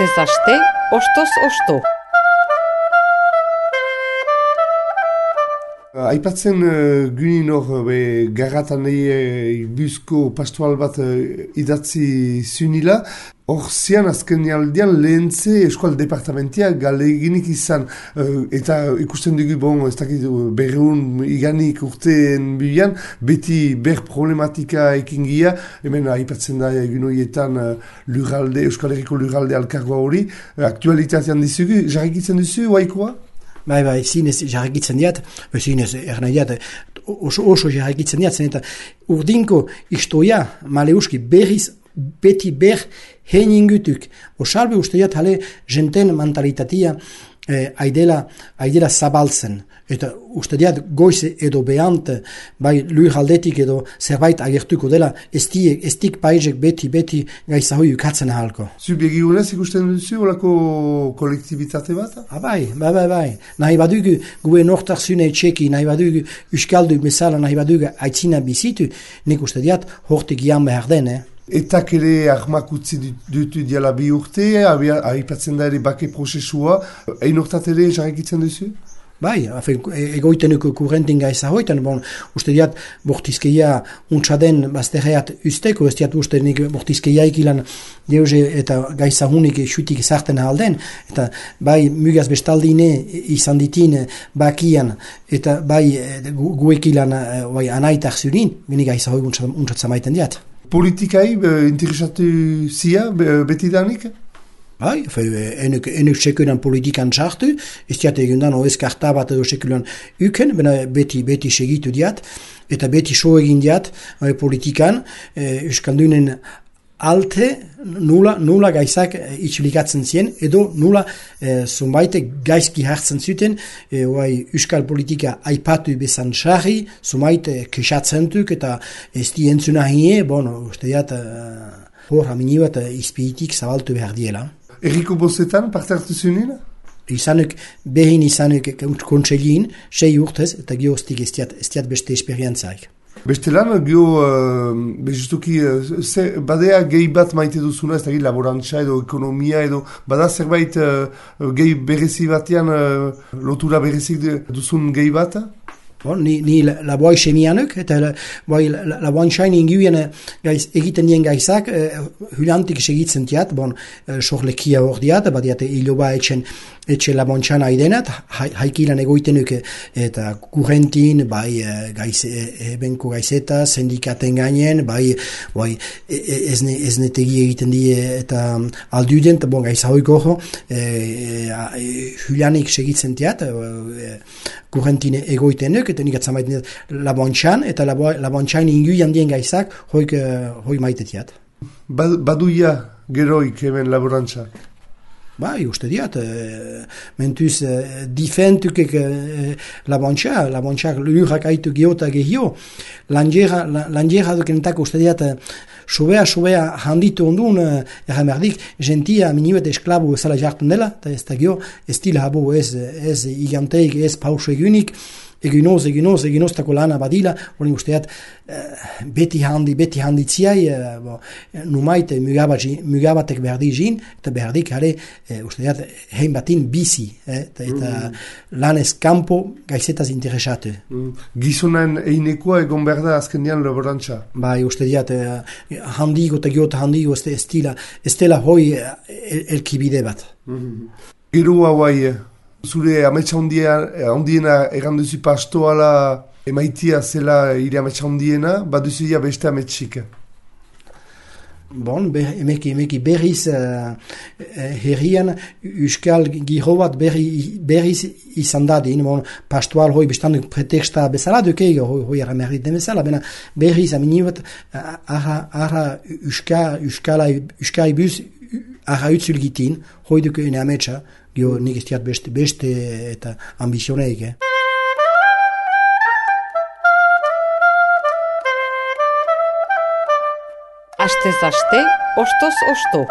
Astez aste, ostoz osto. Aipatzen gynin hor garratanei buzko pastoral bat idatzi zunila, hor zian azken aldean lehentze eskual departamentia galeginik izan, eta ikusten dugu bon, ez dakit berreun iganik urteen bilan, beti ber problematika ekingia, hemen aipatzen da egunoietan lurralde, Euskal Herriko lurralde alkargoa hori, aktualitatean dizugu, jarrikitzen duzu, oaikoa? Bai, zinez jarrikitzen diat, zinez ernai diat, oso jarrikitzen diat, zen eta urdinko istoia maleuski berriz beti ber hein ingutuk. Osalbe uste diat hale jenten mentalitatea aidela zabaltzen. Eta uste diat goize edo behant, bai lurraldetik edo zerbait agertuko dela, estik paizek beti gaizahoi ukatzen ahalko. Zubegigunez ikusten duzu olako kolektibitate bat? Bai. Nahi badugu gue nortarzune txeki, nahi badugu uskaldu bezala, nahi badugu aitzina bizitu, nik uste diat hortik jan behar den, Etak ere ahmak utzi dutu diala bi urte, aipatzen da ere bake prozesua, ein hortat ere jarrikitzen duzu? Bai, egoitenuko kurrentin gaiza hoitan, uste diat bortizkeia untsaden bazterreat usteko, ez diat uste nik bortizkeia ikilan deuze eta gaiza hunik xutik zarten alden, eta bai mugaz bestaldine izan ditin bakian, eta bai guekilan bai anaitak zurin, bini gaiza hoi untsatza maiten diat. Politikai interesatu zia betidanik? Bai, enuk sekulan politikan txartu, ez diat egundan oez karta bat edo sekulan uken, beti segitu diat, eta beti so egin diat politikan, euskaldunen alte nula gaizak itxulikatzen zien, edo nula zunbaite gaizki hartzen zuten, euskal politika aipatu bezan txarri, zunbaite kesatzen eta ez di entzuna hie, uste diat hor hamini bat izpiitik zabaltu behar diela. Erriko bozetan, parte hartu zunina? Behin izanuk kontseilin, 6 urtez, eta gioztik ez diat beste esperientzaik. Bestelan, justuki, badea gehi bat maite duzuna, ez da laborantza edo ekonomia edo, bada zerbait gehi berezi batean, lotura berezik duzun gehi bat? Ni laboai semianuk, eta laboan sain inguien egiten nien gaizak, hulantik segitzen tiat, sorlekia hor diat, badiat hiloba etxe laboantxan aidenat, haikilan egoitenuk eta kurrentin, bai ebenko gaizeta, sindikaten gainen, bai eznetegi egiten die eta alduden, eta gaiza hoi goho, hulanik segitzen tiat, kurrentin egoitenuk, eta nik atzamaiten laboantxan, eta laboantxan inguian dien gaizak hoi maitetiat. Baduia geroik hemen laborantza? Bai, uste diat, mentuz difentukek laboantxak lurrak aitu geota gehio, lanjera dukenetako uste diat, sobea handitu ondun, erramerdik, gentia minibet esklabu zala jartzen dela, eta ez da gio, ez dila habo ez iganteik, ez pauso egunik, eginoz tako lana badila, hori usteat beti handitziai, numaite mugabatek berdi jin, eta berdik hare usteat hein batin bizi, eta lanez kampo gaizetaz interesatu. Gizonan einekoa egon behar da azkendian laborantza? Bai, usteat handigo eta giota handigo ez dela hoi elkibide bat. Gero hauai, zure ametsa ondiena erranduzi pastoala emaitia zela ire ametsa ondiena, baduzu ja beste ametsik? Emeki berriz herrian euskal giro bat berriz izan dadin, pastoal hoi bestan preteksta bezala dukeigo, hoi erramerrit den bezala, berriz aminibat ara euskai buz ara utzulgitin, hoi duke ene ametsa, gio nik ez diat beste eta ambizioneik. Astez aste, ostoz osto.